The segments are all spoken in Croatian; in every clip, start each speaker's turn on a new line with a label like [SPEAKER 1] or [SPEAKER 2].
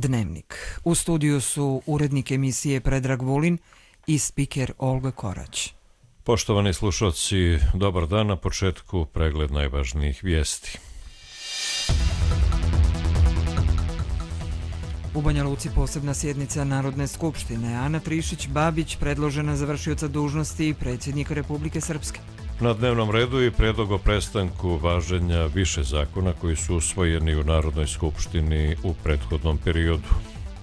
[SPEAKER 1] Dnevnik. U studiju su urednik emisije Predrag Vulin i spiker Olga Korać.
[SPEAKER 2] Poštovani slušalci, dobar dan. Na početku pregled najvažnijih vijesti.
[SPEAKER 1] U Banja Luci posebna sjednica Narodne skupštine. Ana Trišić-Babić predložena za vršioca dužnosti predsjednika Republike Srpske.
[SPEAKER 2] Na dnevnom redu i predlog o prestanku važenja više zakona koji su usvojeni u Narodnoj skupštini u prethodnom periodu.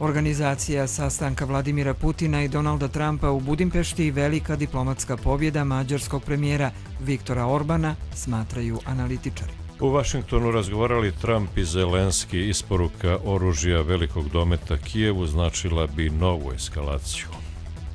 [SPEAKER 1] Organizacija sastanka Vladimira Putina i Donalda Trumpa u Budimpešti i velika diplomatska pobjeda mađarskog premijera Viktora Orbana, smatraju analitičari.
[SPEAKER 2] U Vašingtonu razgovarali Trump i Zelenski. Isporuka oružja velikog dometa Kijevu značila bi novu eskalaciju.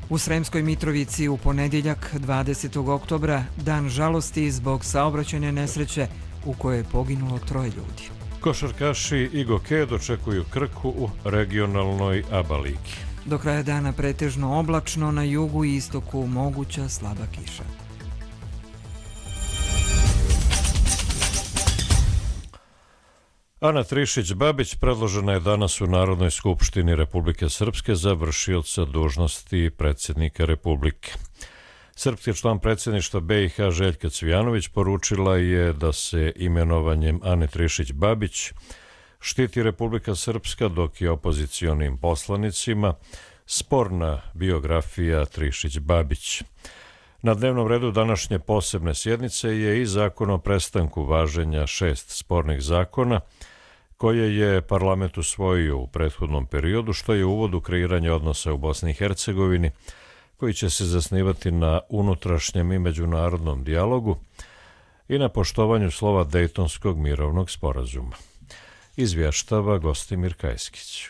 [SPEAKER 1] U Sremskoj Mitrovici u ponedjeljak 20. oktobra dan žalosti zbog saobraćajne nesreće u kojoj je poginulo 3 ljudi.
[SPEAKER 2] Košarkaši i Goke dočekuju Krku u regionalnoj ABA ligi.
[SPEAKER 1] Do kraja dana pretežno oblačno, na jugu i istoku moguća slaba kiša.
[SPEAKER 2] Ana Trišić-Babić predložena je danas u Narodnoj skupštini Republike Srpske za vršioca dužnosti predsjednika Republike. Srpski član predsjedništva BiH Željka Cvijanović poručila je da se imenovanjem Ane Trišić-Babić štiti Republika Srpska, dok je opozicionim poslanicima sporna biografija Trišić-Babić. Na dnevnom redu današnje posebne sjednice je i zakon o prestanku važenja 6 spornih zakona koje je parlament usvojio u prethodnom periodu, što je uvod u kreiranje odnosa u Bosni i Hercegovini, koji će se zasnivati na unutrašnjem i međunarodnom dijalogu i na poštovanju slova Dejtonskog mirovnog sporazuma. Izvještava Gostimir Kajskić.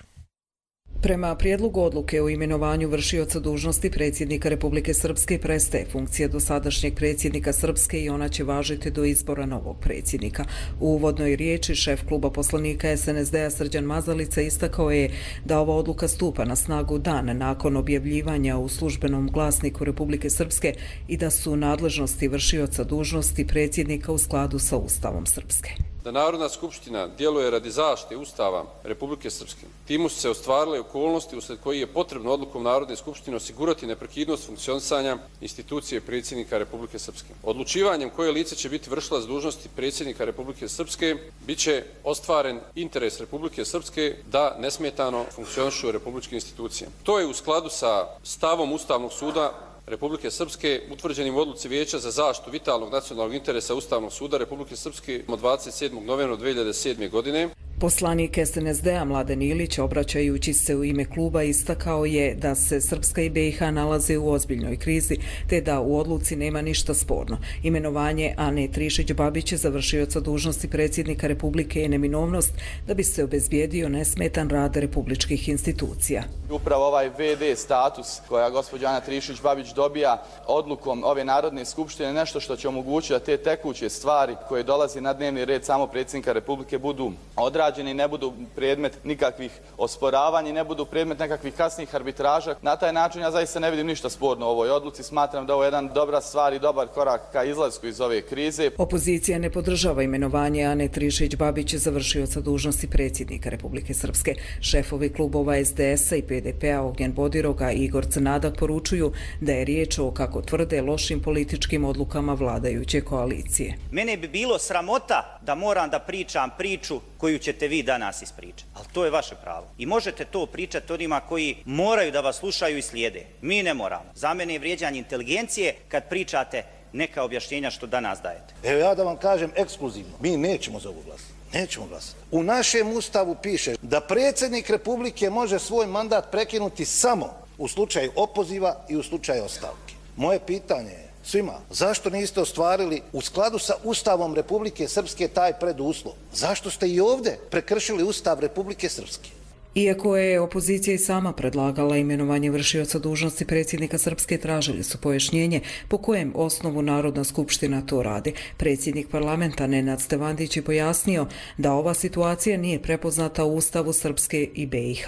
[SPEAKER 3] Prema prijedlogu odluke o imenovanju vršioca dužnosti predsjednika Republike Srpske prestaje funkcija dosadašnjeg predsjednika Srpske i ona će važiti do izbora novog predsjednika. U uvodnoj riječi šef kluba poslanika SNSD-a Srđan Mazalica istakao je da ova odluka stupa na snagu dan nakon objavljivanja u službenom glasniku Republike Srpske i da su nadležnosti vršioca dužnosti predsjednika u skladu sa Ustavom Srpske.
[SPEAKER 4] Da Narodna skupština djeluje radi zaštite Ustava Republike Srpske. Timu su se ostvarile okolnosti usred koji je potrebno odlukom Narodne skupštine osigurati neprekidnost funkcionisanja institucije predsjednika Republike Srpske. Odlučivanjem koje lice će biti vršilac dužnosti predsjednika Republike Srpske bit će ostvaren interes Republike Srpske da nesmetano funkcionišu republičke institucije. To je u skladu sa stavom Ustavnog suda Republike Srpske utvrđenim u odluci Vijeća za zaštitu vitalnog nacionalnog interesa Ustavnog suda Republike Srpske od 27. novembra 2007. godine.
[SPEAKER 3] Poslanik SNSD-a Mladen Ilić, obraćajući se u ime kluba, istakao je da se Srpska i BiH nalaze u ozbiljnoj krizi, te da u odluci nema ništa sporno. Imenovanje Ane Trišić-Babić za vršioca dužnosti predsjednika Republike je neminovnost da bi se obezbijedio nesmetan rad republičkih institucija.
[SPEAKER 5] Upravo ovaj VD status koja gospođa Ana Trišić-Babić dobija odlukom ove Narodne skupštine nešto što će omogućiti da te tekuće stvari koje dolazi na dnevni red samo predsjednika Republike budu odrađeni, ne budu predmet nikakvih osporavanja i ne budu predmet nekakvih kasnih arbitraža. Na taj način ja zaista ne vidim ništa sporno u ovoj odluci. Smatram da ovo je jedan dobra stvar i dobar korak ka izlasku iz ove krize.
[SPEAKER 3] Opozicija ne podržava imenovanje Ane Trišić-Babić za vršioca dužnosti predsjednika Republike Srpske. Šefovi klubova SDS-a i PDP-a Ognjen Bodiroga i Igor Crnadak poručuju da je riječ o, kako tvrde, lošim političkim odlukama vladajuće koalicije.
[SPEAKER 6] Mene bi bilo sramota da moram da pričam priču koju ćete vi danas ispričati. Ali to je vaše pravo. I možete to pričati onima koji moraju da vas slušaju i slijede. Mi ne moramo. Za mene je vrijeđanje inteligencije kad pričate neka objašnjenja što danas dajete.
[SPEAKER 7] Evo ja da vam kažem ekskluzivno. Mi nećemo za ovu glasati. Nećemo glasati. U našem Ustavu piše da predsjednik Republike može svoj mandat prekinuti samo u slučaju opoziva i u slučaju ostavke. Moje pitanje je svima, zašto niste ostvarili u skladu sa Ustavom Republike Srpske taj preduslov? Zašto ste i ovdje prekršili Ustav Republike Srpske?
[SPEAKER 3] Iako je opozicija i sama predlagala imenovanje vršioca dužnosti predsjednika Srpske, tražili su pojašnjenje po kojem osnovu Narodna skupština to radi. Predsjednik parlamenta Nenad Stevandić je pojasnio da ova situacija nije prepoznata u Ustavu Srpske i BiH.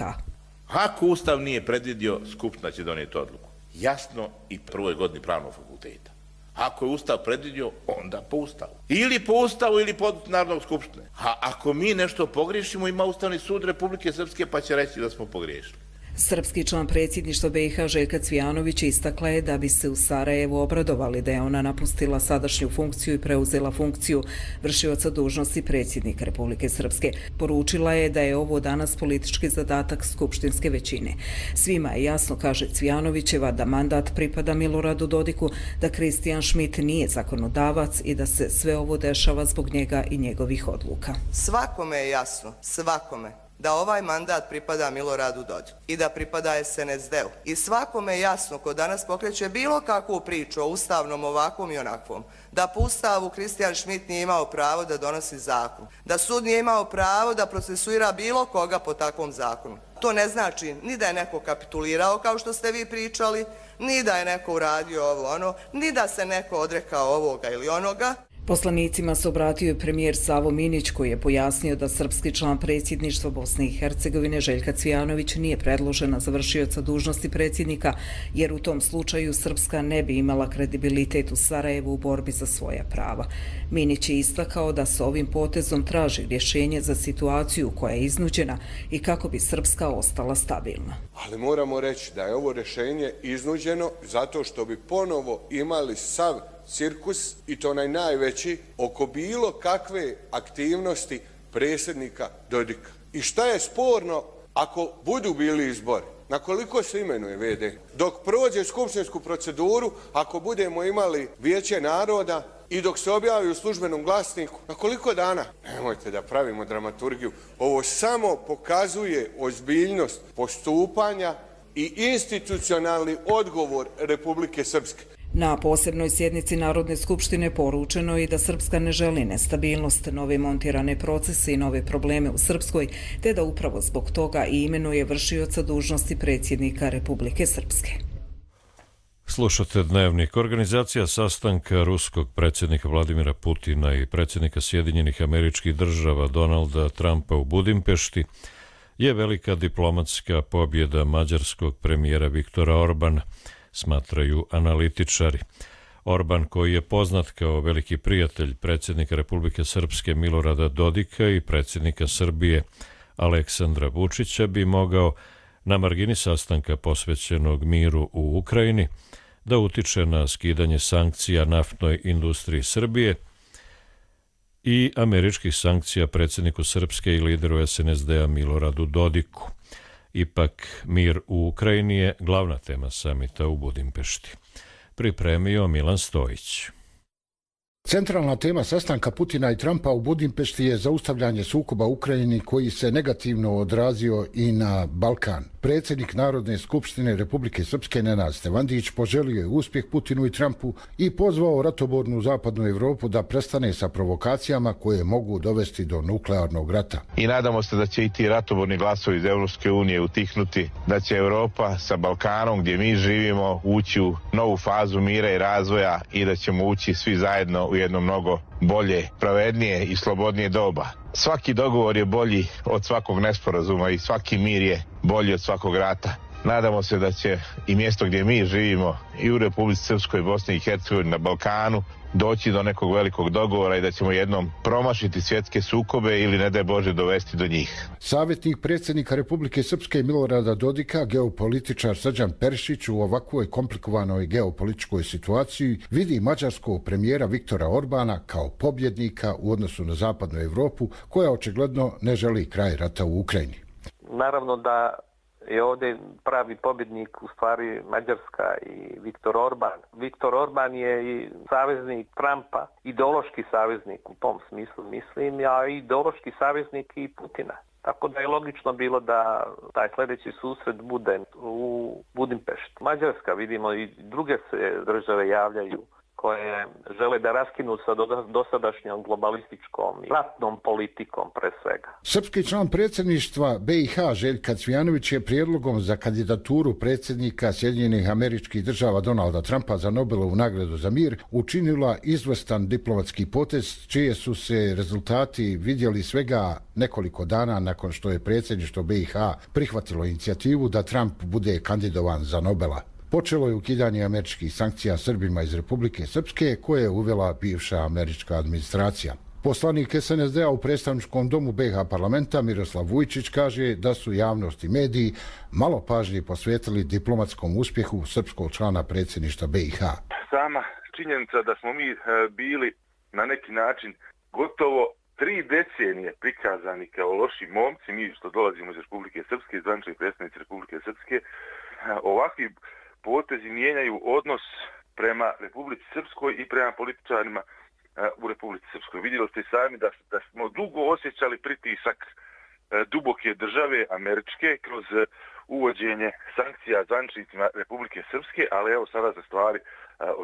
[SPEAKER 8] Ako Ustav nije predvidio, Skupština će donijeti odluku. Jasno i prvoj godini pravnog fakulteta. Ako je Ustav predvidio, onda po Ustavu. Ili po Ustavu ili po Narodnog skupštine. A ako mi nešto pogriješimo, ima Ustavni sud Republike Srpske pa će reći da smo pogriješili.
[SPEAKER 3] Srpski član predsjedništva BiH Željka Cvijanović istakla je da bi se u Sarajevu obradovali da je ona napustila sadašnju funkciju i preuzela funkciju vršioca dužnosti predsjednika Republike Srpske. Poručila je da je ovo danas politički zadatak skupštinske većine. Svima je jasno, kaže Cvijanovićeva, da mandat pripada Miloradu Dodiku, da Kristijan Šmit nije zakonodavac i da se sve ovo dešava zbog njega i njegovih odluka.
[SPEAKER 9] Svakome je jasno, svakome, da ovaj mandat pripada Miloradu Dodiku i da pripada SNSD-u. I svakome je jasno ko danas pokreće bilo kakvu priču o ustavnom ovakvom i onakvom, da po Ustavu Kristijan Šmit nije imao pravo da donosi zakon, da sud nije imao pravo da procesuira bilo koga po takvom zakonu. To ne znači ni da je neko kapitulirao kao što ste vi pričali, ni da je neko uradio ovo ono, ni da se neko odrekao ovoga ili onoga.
[SPEAKER 3] Poslanicima se obratio i premijer Savo Minić, koji je pojasnio da srpski član predsjedništva Bosne i Hercegovine Željka Cvijanović nije predložena za vršioca dužnosti predsjednika, jer u tom slučaju Srpska ne bi imala kredibilitet u Sarajevu u borbi za svoja prava. Minić je istakao da se ovim potezom traži rješenje za situaciju koja je iznuđena i kako bi Srpska ostala stabilna.
[SPEAKER 10] Ali moramo reći da je ovo rješenje iznuđeno zato što bi ponovo imali sav cirkus, i to najveći, oko bilo kakve aktivnosti predsjednika Dodika. I šta je sporno ako budu bili izbori? Na koliko se imenuje VD? Dok prođe skupštinsku proceduru, ako budemo imali Vijeće naroda i dok se objavi u službenom glasniku, na koliko dana? Nemojte da pravimo dramaturgiju. Ovo samo pokazuje ozbiljnost postupanja i institucionalni odgovor Republike Srpske.
[SPEAKER 3] Na posebnoj sjednici Narodne skupštine poručeno je i da Srpska ne želi nestabilnost, nove montirane procese i nove probleme u Srpskoj, te da upravo zbog toga i imenuje vršioca dužnosti predsjednika Republike Srpske.
[SPEAKER 2] Slušate Dnevnik. Organizacija sastanka ruskog predsjednika Vladimira Putina i predsjednika Sjedinjenih Američkih Država Donalda Trumpa u Budimpešti je velika diplomatska pobjeda mađarskog premijera Viktora Orbana, smatraju analitičari. Orban, koji je poznat kao veliki prijatelj predsjednika Republike Srpske Milorada Dodika i predsjednika Srbije Aleksandra Vučića, bi mogao na margini sastanka posvećenog miru u Ukrajini da utiče na skidanje sankcija naftnoj industriji Srbije i američkih sankcija predsjedniku Srpske i lideru SNSD-a Miloradu Dodiku. Ipak, mir u Ukrajini je glavna tema samita u Budimpešti. Pripremio Milan Stojić.
[SPEAKER 11] Centralna tema sastanka Putina i Trumpa u Budimpešti je zaustavljanje sukoba u Ukrajini, koji se negativno odrazio i na Balkan. Predsjednik Narodne skupštine Republike Srpske Nenad Stevandić poželio je uspjeh Putinu i Trumpu i pozvao ratobornu zapadnu Evropu da prestane sa provokacijama koje mogu dovesti do nuklearnog rata.
[SPEAKER 12] I nadamo se da će i ti ratoborni glasovi iz Evropske unije utihnuti, da će Evropa sa Balkanom, gdje mi živimo, ući u novu fazu mira i razvoja i da ćemo ući svi zajedno u jedno mnogo bolje, pravednije i slobodnije doba. Svaki dogovor je bolji od svakog nesporazuma i svaki mir je bolji od svakog rata. Nadamo se da će i mjesto gdje mi živimo i u Republici Srpskoj, Bosni i Hercegovini, na Balkanu doći do nekog velikog dogovora i da ćemo jednom promašiti svjetske sukobe ili, ne daj Bože, dovesti do njih.
[SPEAKER 11] Savjetnik predsjednika Republike Srpske Milorada Dodika, geopolitičar Srđan Perišić, u ovakvoj komplikovanoj geopolitičkoj situaciji vidi mađarskog premijera Viktora Orbana kao pobjednika u odnosu na zapadnu Evropu, koja očigledno ne želi kraj rata u Ukrajini.
[SPEAKER 13] Naravno da je ovdje pravi pobjednik u stvari Mađarska i Viktor Orban. Viktor Orban je i saveznik Trumpa, ideološki saveznik u tom smislu mislim, a ideološki saveznik i Putina. Tako da je logično bilo da taj sljedeći susret bude u Budimpešti. Mađarska, vidimo, i druge se države javljaju koje žele da raskinu sa dosadašnjom globalističkom i ratnom politikom pre svega.
[SPEAKER 11] Srpski član predsjedništva BiH Željka Cvijanović je prijedlogom za kandidaturu predsjednika Sjedinjenih Američkih Država Donalda Trumpa za Nobelovu nagradu za mir učinila izvrstan diplomatski potez, čije su se rezultati vidjeli svega nekoliko dana nakon što je predsjedništvo BiH prihvatilo inicijativu da Trump bude kandidovan za Nobela. Počelo je ukidanje američkih sankcija Srbima iz Republike Srpske koje je uvela bivša američka administracija. Poslanik SNSD-a u predstavničkom domu BiH parlamenta Miroslav Vujčić kaže da su javnost i mediji malo pažnje posvetili diplomatskom uspjehu srpskog člana predsjedništva BiH.
[SPEAKER 14] Sama činjenica da smo mi bili na neki način gotovo 3 decenije prikazani kao loši momci, mi što dolazimo iz Republike Srpske, zvanični predstavnici Republike Srpske, ovakvi potezi mijenjaju odnos prema Republici Srpskoj i prema političarima u Republici Srpskoj. Vidjeli ste sami da smo dugo osjećali pritisak duboke države američke kroz uvođenje sankcija zvaničnicima Republike Srpske, ali evo sada se stvari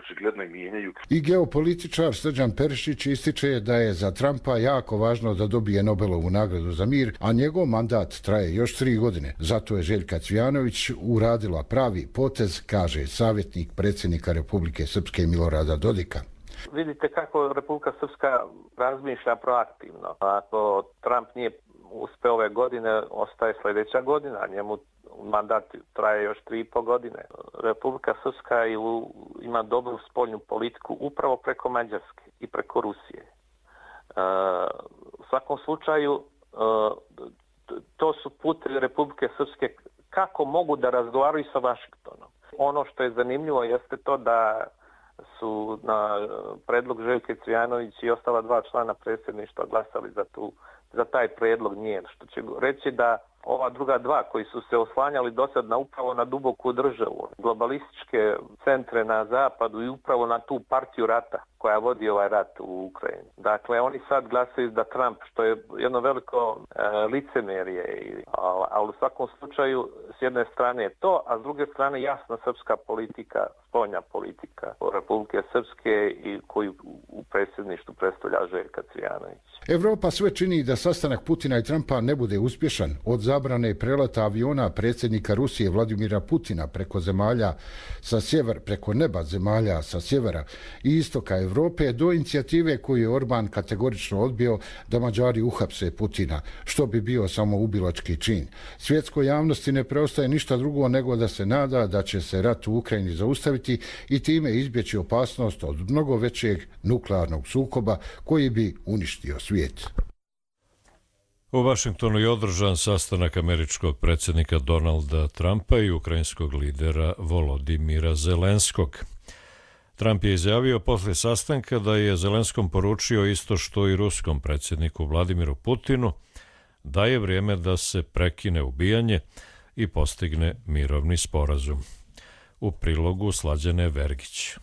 [SPEAKER 14] očigledno i mijenjaju.
[SPEAKER 11] I geopolitičar Srđan Perišić ističe da je za Trumpa jako važno da dobije Nobelovu nagradu za mir, a njegov mandat traje još 3 godine. Zato je Željka Cvijanović uradila pravi potez, kaže savjetnik predsjednika Republike Srpske Milorada Dodika.
[SPEAKER 13] Vidite kako Republika Srpska razmišlja proaktivno. Ako Trump nije uspeo ove godine, ostaje sljedeća godina, njemu mandat traje još 3,5 godine. Republika Srpska ima dobru spoljnu politiku upravo preko Mađarske i preko Rusije. U svakom slučaju, to su putevi Republike Srpske kako mogu da razgovaraju sa Vašingtonom. Ono što je zanimljivo jeste to da su na predlog Željke Cvijanović i ostala 2 člana predsjedništva glasali za taj predlog njen, što će reći da ova druga 2 koji su se oslanjali dosad upravo na duboku državu, globalističke centre na zapadu i upravo na tu partiju rata koja vodi ovaj rat u Ukrajini. Dakle, oni sad glasaju da Trump, što je jedno veliko licemerje, ali u svakom slučaju s jedne strane je to, a s druge strane jasna srpska politika, spoljna politika Republike Srpske i koju u predsjedništvu predstavlja Željka Cvijanović.
[SPEAKER 11] Evropa sve čini da sastanak Putina i Trumpa ne bude uspješan. Od zabrane preleta aviona predsjednika Rusije Vladimira Putina preko neba zemalja sa sjevera i istoka Evrope do inicijative koju je Orban kategorično odbio da Mađari uhapse Putina, što bi bio samo ubilački čin. Svjetskoj javnosti ne preostaje ništa drugo nego da se nada da će se rat u Ukrajini zaustaviti i time izbjeći opasnost od mnogo većeg nuklearnog sukoba koji bi uništio svijet.
[SPEAKER 2] U Vašingtonu je održan sastanak američkog predsjednika Donalda Trumpa i ukrajinskog lidera Volodimira Zelenskog. Trump je izjavio poslije sastanka da je Zelenskom poručio isto što i ruskom predsjedniku Vladimiru Putinu, da je vrijeme da se prekine ubijanje i postigne mirovni sporazum. U prilogu Slađane Vergić.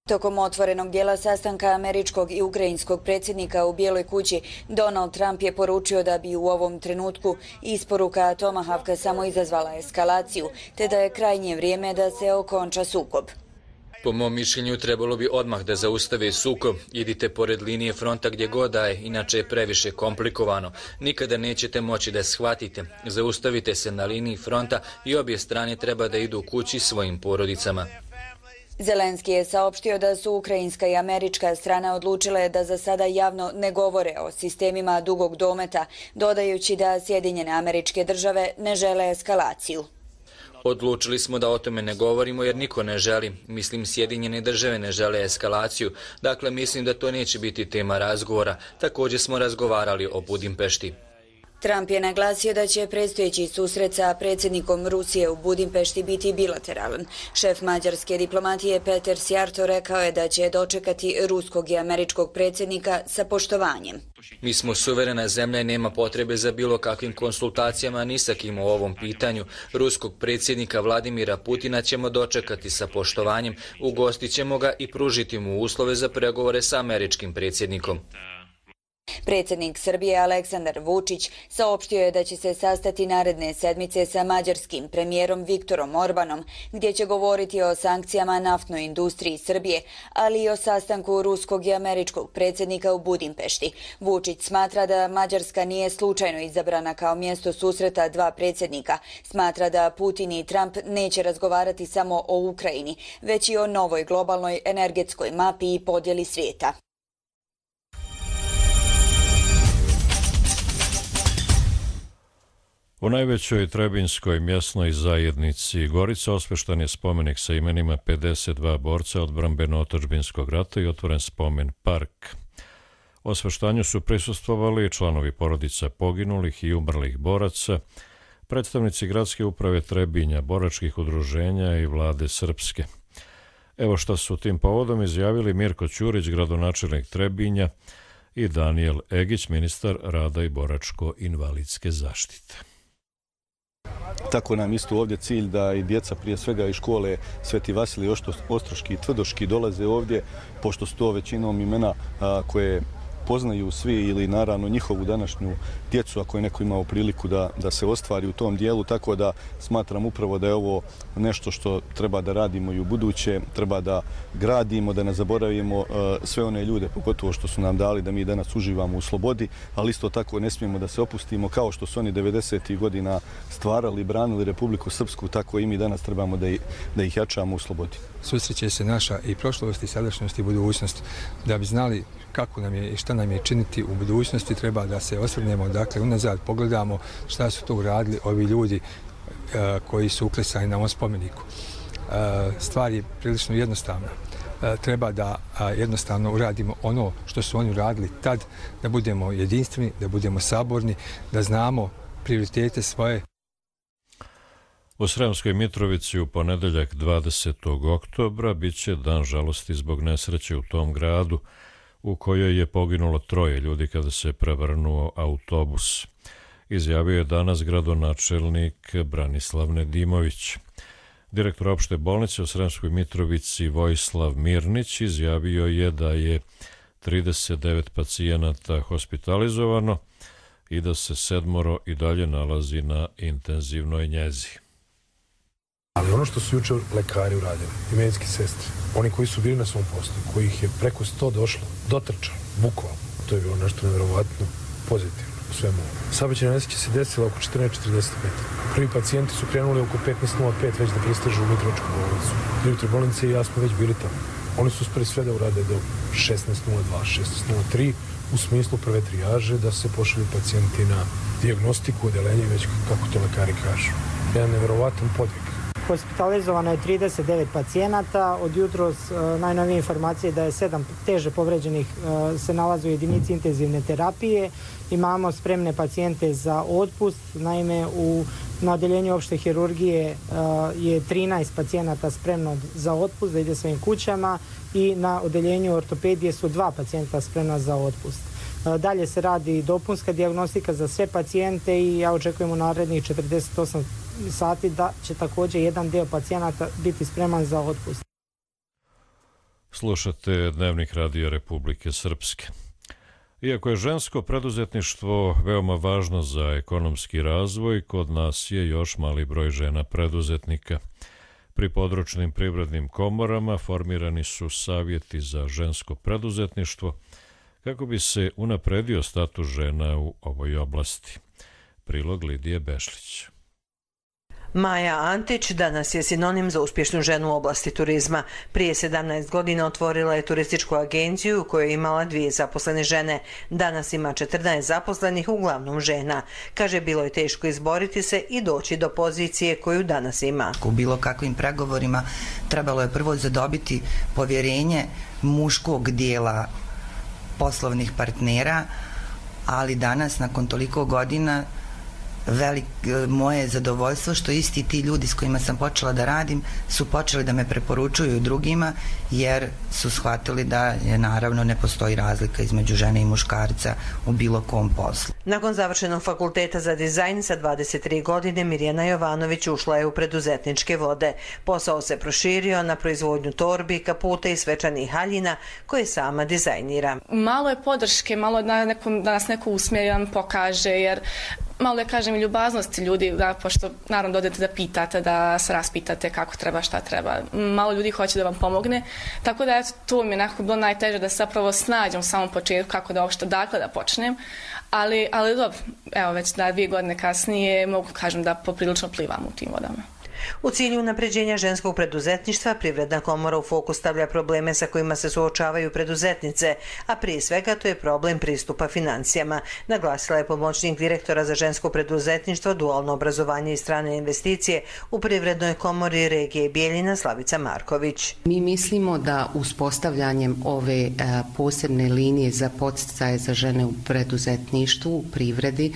[SPEAKER 15] Tokom otvorenog dijela sastanka američkog i ukrajinskog predsjednika u Bijeloj kući, Donald Trump je poručio da bi u ovom trenutku isporuka Tomahawka samo izazvala eskalaciju, te da je krajnje vrijeme da se okonča sukob.
[SPEAKER 16] Po mom mišljenju trebalo bi odmah da zaustave sukob. Idite pored linije fronta gdje god da je, inače je previše komplikovano. Nikada nećete moći da shvatite. Zaustavite se na liniji fronta i obje strane treba da idu kući svojim porodicama.
[SPEAKER 15] Zelenski je saopštio da su ukrajinska i američka strana odlučile da za sada javno ne govore o sistemima dugog dometa, dodajući da Sjedinjene Američke Države ne žele eskalaciju.
[SPEAKER 16] Odlučili smo da o tome ne govorimo jer niko ne želi. Mislim, Sjedinjene Države ne žele eskalaciju. Dakle, mislim da to neće biti tema razgovora. Također smo razgovarali o Budimpešti.
[SPEAKER 15] Trump je naglasio da će predstojeći susret sa predsjednikom Rusije u Budimpešti biti bilateralan. Šef mađarske diplomatije Peter Sjarto rekao je da će dočekati ruskog i američkog predsjednika sa poštovanjem.
[SPEAKER 16] Mi smo suverena zemlja i nema potrebe za bilo kakvim konsultacijama ni sa kim u ovom pitanju. Ruskog predsjednika Vladimira Putina ćemo dočekati sa poštovanjem, ugostit ćemo ga i pružiti mu uslove za pregovore sa američkim predsjednikom.
[SPEAKER 15] Predsjednik Srbije Aleksandar Vučić saopštio je da će se sastati naredne sedmice sa mađarskim premijerom Viktorom Orbanom, gdje će govoriti o sankcijama naftnoj industriji Srbije, ali i o sastanku ruskog i američkog predsjednika u Budimpešti. Vučić smatra da Mađarska nije slučajno izabrana kao mjesto susreta 2 predsjednika. Smatra da Putin i Trump neće razgovarati samo o Ukrajini, već i o novoj globalnoj energetskoj mapi i podjeli svijeta.
[SPEAKER 2] U najvećoj trebinjskoj mjesnoj zajednici Gorica osveštan je spomenik sa imenima 52 borca odbrambeno-otadžbinskog rata i otvoren spomen park. Osveštanju su prisustvovali članovi porodica poginulih i umrlih boraca, predstavnici gradske uprave Trebinja, boračkih udruženja i vlade Srpske. Evo što su tim povodom izjavili Mirko Ćurić, gradonačelnik Trebinja, i Danijel Egić, ministar rada i boračko-invalidske zaštite.
[SPEAKER 17] Tako nam isto ovdje cilj da i djeca prije svega iz škole Sveti Vasilij Ostroški i Tvrdoški dolaze ovdje, pošto su to većinom imena koje poznaju svi ili naravno njihovu današnju djecu ako je neko imao priliku da se ostvari u tom dijelu, tako da smatram upravo da je ovo nešto što treba da radimo i u buduće, treba da gradimo, da ne zaboravimo sve one ljude, pogotovo što su nam dali da mi danas uživamo u slobodi, ali isto tako ne smijemo da se opustimo kao što su oni 90. godina stvarali i branili Republiku Srpsku, tako i mi danas trebamo da ih jačamo u slobodi.
[SPEAKER 18] Susreće se naša i prošlost i sadašnjost i budućnost. Da bi znali kako nam je i šta nam je činiti u budućnosti, treba da se osvrnemo, dakle, unazad pogledamo šta su to uradili ovi ljudi koji su uklesani na ovom spomeniku. Stvar je prilično jednostavna. Treba da jednostavno uradimo ono što su oni uradili tad, da budemo jedinstveni, da budemo saborni, da znamo prioritete svoje.
[SPEAKER 2] U Sremskoj Mitrovici u ponedeljak 20. oktobra biće dan žalosti zbog nesreće u tom gradu u kojoj je poginulo 3 ljudi kada se prevrnuo autobus. Izjavio je danas gradonačelnik Branislav Nedimović. Direktor opšte bolnice u Sremskoj Mitrovici Vojislav Mirnić izjavio je da je 39 pacijenata hospitalizovano i da se 7 i dalje nalazi na intenzivnoj njezi.
[SPEAKER 19] Ali ono što su juče lekari uradili i medicinske sestre, oni koji su bili na svom poslu, kojih je preko 100 došlo, dotrčalo, bukvalno, to je bilo nešto nevjerovatno pozitivno u svemu. Saobraćajna nesreća se desila oko 14:45. Prvi pacijenti su krenuli oko 15:05 već da pristižu u Mitrovičku bolnicu. Direktor bolnice i ja smo već bili tamo. Oni su uspeli sve da urade do 16:02, 16:03 u smislu prve trijaže da se pošalju pacijenti na dijagnostiku, odeljenje, već kako to lekari kažu. Jedan nevjerovatan podvig.
[SPEAKER 20] Hospitalizovano je 39 pacijenata. Od jutros najnovije informacije da je 7 teže povređenih se nalazi u jedinici intenzivne terapije. Imamo spremne pacijente za otpust. Naime, na odeljenju opšte hirurgije je 13 pacijenata spremno za otpust, da ide svojim kućama, i na odeljenju ortopedije su 2 pacijenta spremna za otpust. Dalje se radi dopunska dijagnostika za sve pacijente i ja očekujem u narednih 48 sati da će također jedan dio pacijenata biti spreman za otpust.
[SPEAKER 2] Slušate Dnevnik radija Republike Srpske. Iako je žensko preduzetništvo veoma važno za ekonomski razvoj, kod nas je još mali broj žena preduzetnika. Pri područnim privrednim komorama formirani su savjeti za žensko preduzetništvo kako bi se unapredio status žena u ovoj oblasti. Prilog Lidije Bešlić.
[SPEAKER 21] Maja Antić danas je sinonim za uspješnu ženu u oblasti turizma. Prije 17 godina otvorila je turističku agenciju u kojoj je imala 2 zaposlene žene. Danas ima 14 zaposlenih, uglavnom žena. Kaže, bilo je teško izboriti se i doći do pozicije koju danas ima.
[SPEAKER 22] U bilo kakvim pregovorima trebalo je prvo zadobiti povjerenje muškog dijela poslovnih partnera, ali danas, nakon toliko godina, moje zadovoljstvo što isti ti ljudi s kojima sam počela da radim su počeli da me preporučuju drugima, jer su shvatili da je, naravno, ne postoji razlika između žene i muškarca u bilo kom poslu.
[SPEAKER 21] Nakon završenog fakulteta za dizajn sa 23 godine Mirjana Jovanović ušla je u preduzetničke vode. Posao se proširio na proizvodnju torbi, kaputa i svečanih haljina koje sama dizajnira.
[SPEAKER 23] Malo je podrške, malo da nas neko usmjeri, pokaže, jer malo je, kažem, i ljubaznosti ljudi, pošto naravno dodete da pitate, da se raspitate kako treba, šta treba. Malo ljudi hoće da vam pomogne, tako da to mi je nekako bilo najteže da se zapravo snađem u samom početku kako da uopšte dakle da počnem, ali dobro, evo već 2 godine kasnije mogu kažem da poprilično plivam u tim vodama.
[SPEAKER 21] U cilju unapređenja ženskog preduzetništva, Privredna komora u fokus stavlja probleme sa kojima se suočavaju preduzetnice, a prije svega to je problem pristupa financijama, naglasila je pomoćnik direktora za žensko preduzetništvo, dualno obrazovanje i strane investicije u Privrednoj komori regije Bijeljina Slavica Marković.
[SPEAKER 1] Mi mislimo da uspostavljanjem ove posebne linije za podsticaje za žene u preduzetništvu, u privredi,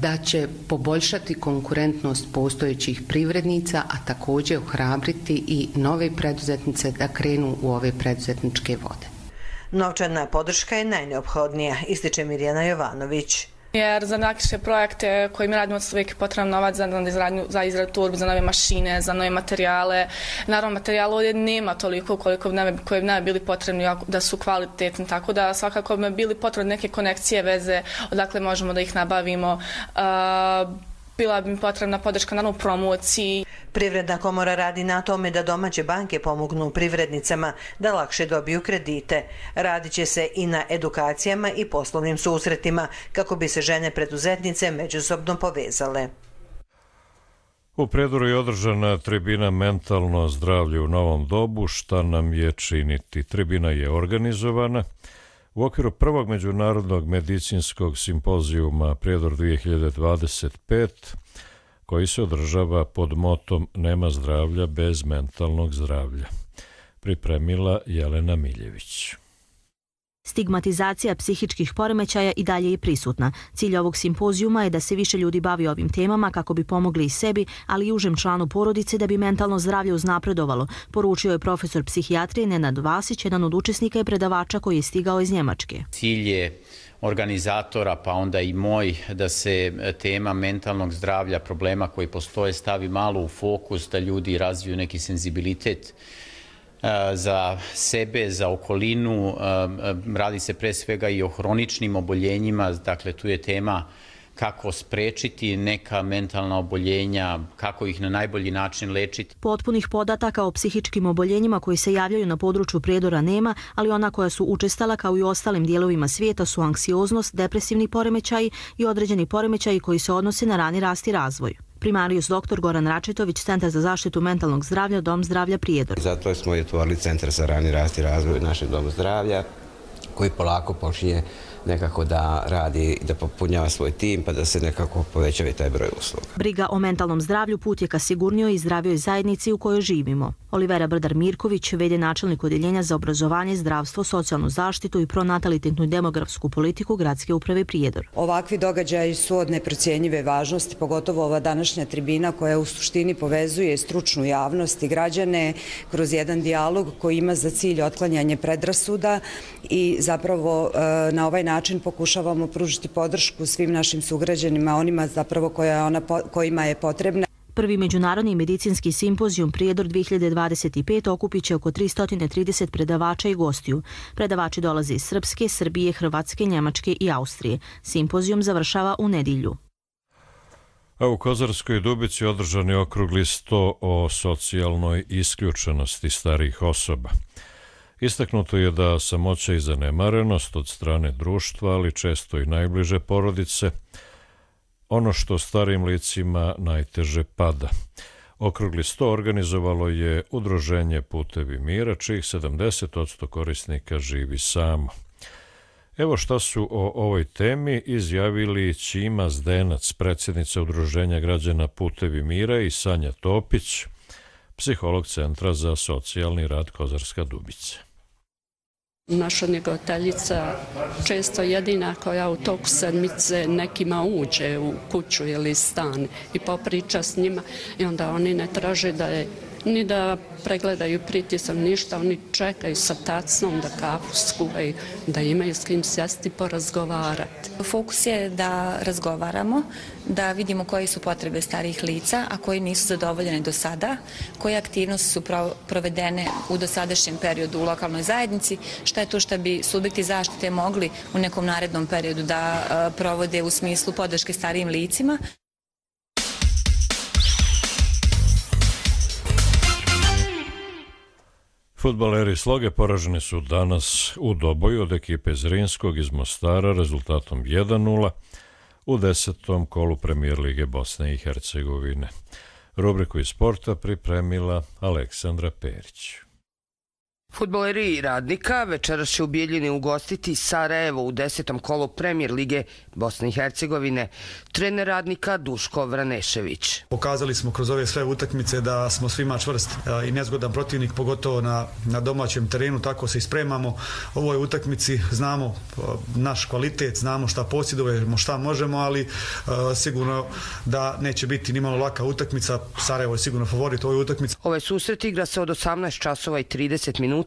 [SPEAKER 1] da će poboljšati konkurentnost postojećih privrednica, a također ohrabriti i nove preduzetnice da krenu u ove preduzetničke vode.
[SPEAKER 21] Novčana podrška je najneophodnija, ističe Mirjana Jovanović.
[SPEAKER 23] Jer za naše projekte koje mi radimo uvijek potrebno novac za izradu turbi, za nove mašine, za nove materijale. Naravno, materijala ovdje nema toliko koje bi nam bili potrebni da su kvalitetni, tako da svakako bi bili potrebne neke konekcije, veze, odakle možemo da ih nabavimo. Bila bi mi potrebna podrška naravno u promociji.
[SPEAKER 21] Privredna komora radi na tome da domaće banke pomognu privrednicama da lakše dobiju kredite. Radit će se i na edukacijama i poslovnim susretima kako bi se žene preduzetnice međusobno povezale.
[SPEAKER 2] U Prijedoru je održana tribina Mentalno zdravlje u novom dobu, šta nam je činiti. Tribina je organizovana u okviru prvog međunarodnog medicinskog simpozijuma Prijedor 2025, koji se održava pod motom Nema zdravlja bez mentalnog zdravlja. Pripremila Jelena Miljević.
[SPEAKER 4] Stigmatizacija psihičkih poremećaja i dalje je prisutna. Cilj ovog simpozijuma je da se više ljudi bavi ovim temama kako bi pomogli i sebi, ali i užem članu porodice da bi mentalno zdravlje uznapredovalo, poručio je profesor psihijatrije Nenad Vasić, jedan od učesnika i predavača koji je stigao iz Njemačke.
[SPEAKER 5] Cilj je organizatora, pa onda i moj, da se tema mentalnog zdravlja, problema koji postoje, stavi malo u fokus, da ljudi razviju neki senzibilitet za sebe, za okolinu. Radi se pre svega i o hroničnim oboljenjima, dakle tu je tema kako sprečiti neka mentalna oboljenja, kako ih na najbolji način lečiti.
[SPEAKER 4] Potpunih podataka o psihičkim oboljenjima koji se javljaju na području Prijedora nema, ali ona koja su učestala kao i u ostalim dijelovima svijeta su anksioznost, depresivni poremećaji i određeni poremećaji koji se odnose na rani rast i razvoj. Primarijus dr. Goran Račetović, Centar za zaštitu mentalnog zdravlja, Dom zdravlja Prijedor.
[SPEAKER 24] Zato smo i otvorili Centar za rani rast i razvoj našeg Doma zdravlja, koji polako počinje nekako da radi, da popunjava svoj tim, pa da se nekako povećava i taj broj usluga.
[SPEAKER 4] Briga o mentalnom zdravlju put je ka sigurnijoj i zdravijoj zajednici u kojoj živimo. Olivera Brdar-Mirković, v.d. načelnik Odjeljenja za obrazovanje, zdravstvo, socijalnu zaštitu i pronatalitetnu i demografsku politiku Gradske uprave Prijedor.
[SPEAKER 25] Ovakvi događaji su od neprocjenjive važnosti, pogotovo ova današnja tribina koja u suštini povezuje stručnu javnost i građane kroz jedan dijalog koji ima za cilj otklanjanje predrasuda i zapravo na ovaj način pokušavamo pružiti podršku svim našim sugrađanima, onima zapravo kojima je potrebna.
[SPEAKER 4] Prvi međunarodni medicinski simpozijum Prijedor 2025 okupit će oko 330 predavača i gostiju. Predavači dolaze iz Srpske, Srbije, Hrvatske, Njemačke i Austrije. Simpozijum završava u nedjelju.
[SPEAKER 2] A u Kozarskoj Dubici održan je okrugli sto o socijalnoj isključenosti starijih osoba. Istaknuto je da samoća i zanemarenost od strane društva, ali često i najbliže porodice, ono što starijim licima najteže pada. Okrugli sto organizovalo je Udruženje Putevi mira, čijih 70% korisnika živi samo. Evo šta su o ovoj temi izjavili Ćima Zdenac, predsjednica Udruženja građana Putevi mira, i Sanja Topić, psiholog Centra za socijalni rad Kozarska Dubica.
[SPEAKER 26] Naša njegovateljica često jedina koja u toku sedmice nekima uđe u kuću ili stan i popriča s njima, i onda oni ne traže da je ni da pregledaju pritisak, ništa, oni čekaju sa tacnom da kafu skuvaju, da imaju s kim sjesti porazgovarati.
[SPEAKER 27] Fokus je da razgovaramo, da vidimo koje su potrebe starijih lica, a koji nisu zadovoljene do sada, koje aktivnosti su provedene u dosadašnjem periodu u lokalnoj zajednici, šta je to što bi subjekti zaštite mogli u nekom narednom periodu da provode u smislu podrške starijim licima.
[SPEAKER 2] Fudbaleri Sloge poraženi su danas u Doboju od ekipe Zrinskog iz Mostara rezultatom 1:0 u 10. kolu Premijer lige Bosne i Hercegovine. Rubriku iz sporta pripremila Aleksandra Perić.
[SPEAKER 3] Fudbaleri Radnika večeras će u Bijeljini ugostiti Sarajevo u 10. kolu Premijer lige Bosne i Hercegovine. Trener Radnika Duško Vranešević.
[SPEAKER 6] Pokazali smo kroz ove sve utakmice da smo svima čvrst i nezgodan protivnik, pogotovo na domaćem terenu, tako se i spremamo. U ovoj utakmici znamo naš kvalitet, znamo šta posjedujemo, šta možemo, ali sigurno da neće biti nimalo laka utakmica. Sarajevo je sigurno favorit u ovoj utakmici.
[SPEAKER 3] Ovaj susret igra se od 18 časova i 30 minuta.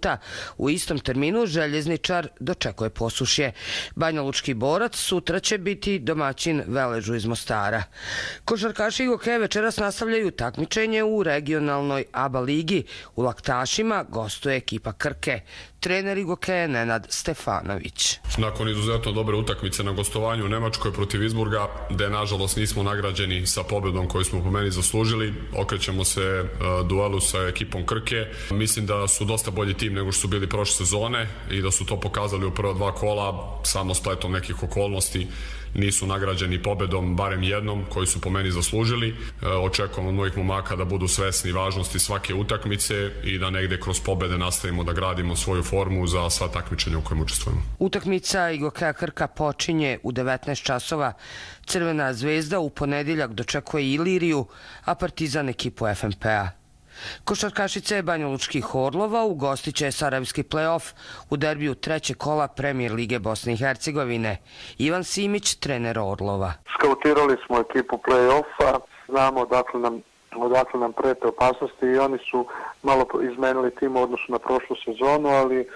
[SPEAKER 3] U istom terminu Željezničar dočekuje Posušje. Banjalučki Borac sutra će biti domaćin Veležu iz Mostara. Košarkaši Igoke večeras nastavljaju takmičenje u regionalnoj ABA ligi. U Laktašima gostuje ekipa Krke. Trener Igoke je Nenad Stefanović.
[SPEAKER 7] Nakon izuzetno dobre utakmice na gostovanju u Nemačkoj protiv Izburga, gde nažalost nismo nagrađeni sa pobedom koju smo po meni zaslužili, okrećemo se duelu sa ekipom Krke. Mislim da su dosta bolji tim nego što su bili prošle sezone i da su to pokazali u prva 2 kola, samo spletom nekih okolnosti nisu nagrađeni pobedom, barem jednom, koju su po meni zaslužili. Očekujem od mojih momaka da budu svesni važnosti svake utakmice i da negde kroz pobede nastavimo da gradimo svoju formu za sva takmičenja u kojem učestvujemo.
[SPEAKER 3] Utakmica Igokeja Krka počinje u 19 časova. Crvena zvezda u ponedjeljak dočekuje Iliriju, a Partizan ekipu FNP-a. Košarkašice Banjalučkih Orlova ugostit će sarajevski play-off u derbiju 3. kola Premijer lige Bosne i Hercegovine. Ivan Simić, trener Orlova.
[SPEAKER 13] Skautirali smo ekipu play-offa, znamo odakle nam prete opasnosti i oni su malo izmenili tim u odnosu na prošlu sezonu, ali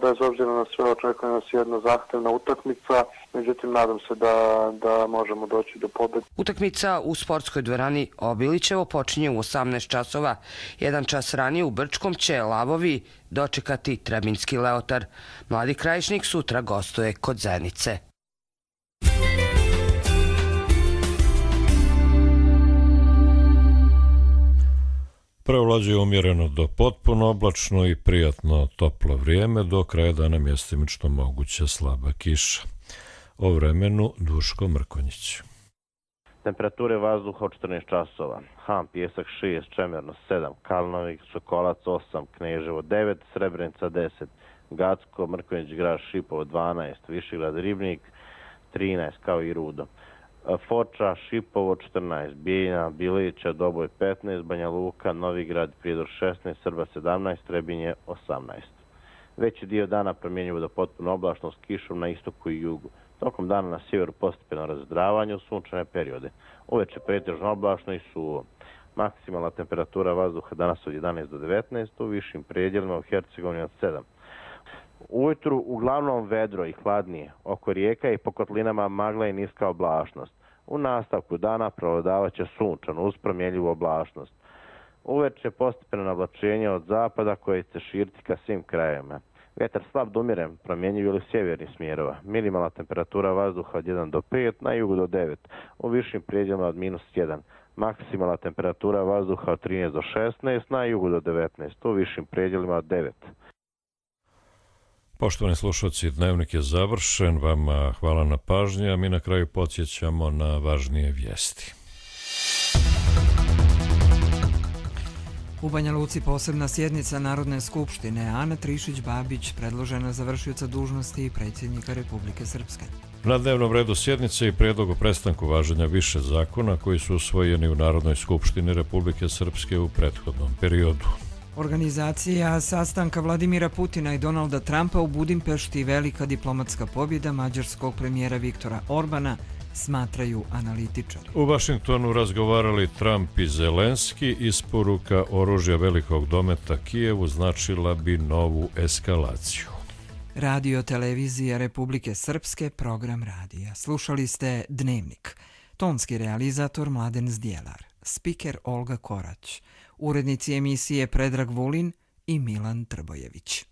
[SPEAKER 13] bez obzira na sve očekuje nas jedna zahtevna utakmica, međutim nadam se da možemo doći do pobjede.
[SPEAKER 3] Utakmica u sportskoj dvorani Obilićevo počinje u 18 časova. 1 čas ranije u Brčkom će Lavovi dočekati Trebinski Leotar. Mladi Krajišnik sutra gostuje kod Zenice.
[SPEAKER 2] Prevlađuje umjereno do potpuno oblačno i prijatno toplo vrijeme, do kraja dana mjestimično moguća slaba kiša. O vremenu Duško Mrkonjić.
[SPEAKER 8] Temperature vazduha od 14 časova. Ham, Pjesak 6, Čemerno 7, Kalnovik, Sokolac 8, Kneževo 9, Srebrenica 10, Gacko, Mrkonjić Grad, Šipovo 12, Višegrad Ribnik 13, kao i Rudo. Foča, Šipovo 14, Bijeljina, Bilića, Doboj 15, Banja Luka, Novigrad, Prijedor 16, Srba 17, Trebinje 18. Veći dio dana promjenjivo do potpuno oblačno s kišom na istoku i jugu. Tokom dana na sjeveru postepeno razdravanje u sunčane periode. Uveče pretežno oblačno i suvo. Maksimalna temperatura vazduha danas od 11 do 19, u višim predjelima u Hercegovini od 7. Ujutru uglavnom vedro i hladnije, oko rijeka i po kotlinama magla i niska oblačnost. U nastavku dana prevladavat će sunčano uz promjenljivu oblačnost. Uveče postepeno navlačenje od zapada koje će širiti ka svim krajevima. Vjetar slab do umjeren, promjenjiv ili sjevernih smjerova. Minimalna temperatura vazduha od 1 do 5, na jugu do 9, u višim predjelima od -1. Maksimalna temperatura vazduha od 13 do 16, na jugu do 19, u višim predjelima od 9.
[SPEAKER 2] Poštovani slušalci, dnevnik je završen, vama hvala na pažnji, a mi na kraju podsjećamo na važnije vijesti.
[SPEAKER 9] U Banja Luci posebna sjednica Narodne skupštine. Ana Trišić-Babić predložena za vršioca dužnosti predsjednika Republike Srpske.
[SPEAKER 2] Na dnevnom redu sjednice i prijedlog o prestanku važenja više zakona koji su usvojeni u Narodnoj skupštini Republike Srpske u prethodnom periodu.
[SPEAKER 9] Organizacija sastanka Vladimira Putina i Donalda Trumpa u Budimpešti velika diplomatska pobjeda mađarskog premijera Viktora Orbana, smatraju analitičari.
[SPEAKER 2] U Vašingtonu razgovarali Trump i Zelenski, isporuka oružja velikog dometa Kijevu značila bi novu eskalaciju.
[SPEAKER 9] Radio televizija Republike Srpske, program radija. Slušali ste Dnevnik. Tonski realizator Mladen Zdjelar, spiker Olga Korać, urednici emisije Predrag Vulin i Milan Trbojević.